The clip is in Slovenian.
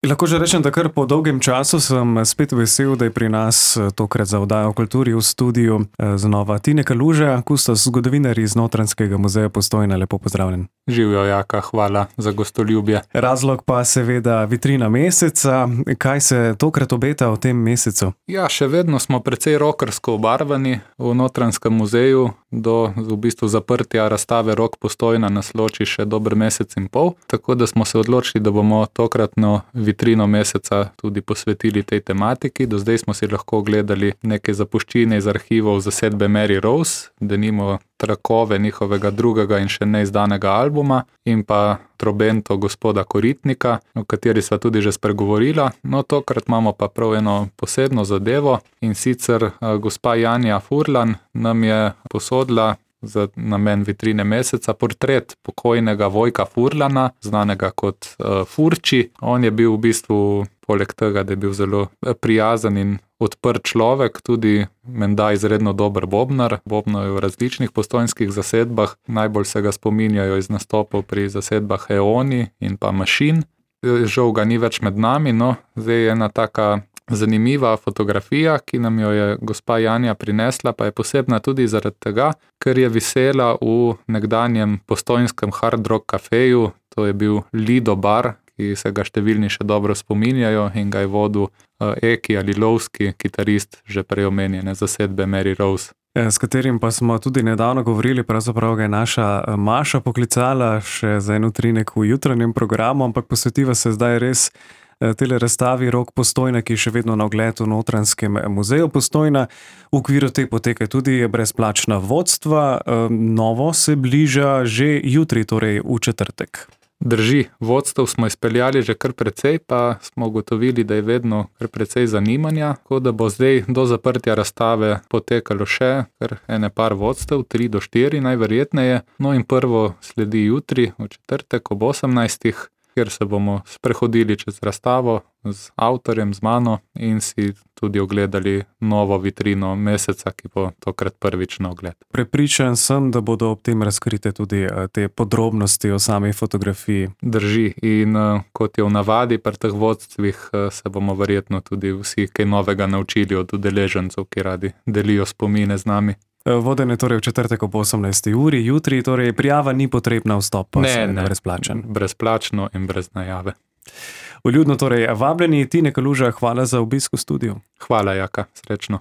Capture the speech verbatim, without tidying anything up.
Lahko že rečem, da kar po dolgem času sem spet vesel, da je pri nas tokrat za oddajo o kulturi v studiu znova Tine Kaluža, kustos zgodovinar iz Notranjskega muzeja Postojna. Lepo pozdravljen. Živjo, Jaka, hvala za gostoljubje. Razlog pa seveda vitrina meseca. Kaj se tokrat obeta v tem mesecu? Ja, še vedno smo precej rockersko obarvani v Notranjskem muzeju. Do v bistvu zaprtja razstave Rock Postojna nas loči še dober mesec in pol, tako da smo se odločili, da bomo tokratno vitrino meseca tudi posvetili tej tematiki. Do zdaj smo si lahko gledali neke zapuščine iz arhivov zasedbe Mary Rose, denimo trakove njihovega drugega in še neizdanega albuma in pa Trobento gospoda Koritnika, o kateri sva tudi že spregovorila. No, tokrat imamo pa prav eno posebno zadevo in sicer gospa Janja Furlan nam je posodila za namen vitrine meseca portret pokojnega Vojka Furlana, znanega kot uh, Furči. On je bil v bistvu, poleg tega, da je bil zelo prijazen in odprt človek, tudi menda izredno dober bobnar. Bobno je v različnih postojnskih zasedbah, najbolj se ga spominjajo iz nastopov pri zasedbah Eoni in pa Mašin. Žal ga ni več med nami, no, zdaj je ena taka zanimiva fotografija, ki nam jo je gospa Janja prinesla, pa je posebna tudi zaradi tega, ker je visela v nekdanjem postojnskem hard rock kafeju, to je bil Lido bar, ki se ga številni še dobro spominjajo in ga je vodil Eki Alilovski, kitarist že prej omenjene zasedbe Mary Rose. S katerim pa smo tudi nedavno govorili, pravzaprav ga je naša Maša poklicala še za en utrinek v jutranjem programu, ampak posvetiva se zdaj res tele razstavi Rock Postojna, ki je še vedno na ogled v Notranjskem muzeju Postojna. V okviru te poteka tudi brezplačna vodstva. Novo se bliža že jutri, torej v četrtek. Drži, vodstev smo izpeljali že kar precej, pa smo ugotovili, da je vedno kar precej zanimanja, tako da bo zdaj do zaprtja razstave potekalo še kar ene par vodstev, tri do štiri najverjetneje. No in prvo sledi jutri, v četrtek ob osemnajstih, kjer se bomo sprehodili čez razstavo z avtorjem, z mano in si tudi ogledali novo vitrino meseca, ki bo tokrat prvič na ogled. Prepričan sem, da bodo ob tem razkrite tudi te podrobnosti o sami fotografiji. Drži, in kot je v navadi pri teh vodstvih, se bomo verjetno tudi vsi kaj novega naučili od udeležencev, ki radi delijo spomine z nami. Vodenje torej v četrtek ob osemnajsti uri, jutri, torej prijava ni potrebna, vstop pa se ne, brezplačen. Brezplačno in brez najave. Vljudno torej vabljeni. Tine Kaluža, hvala za obisk v studiu. Hvala, Jaka, srečno.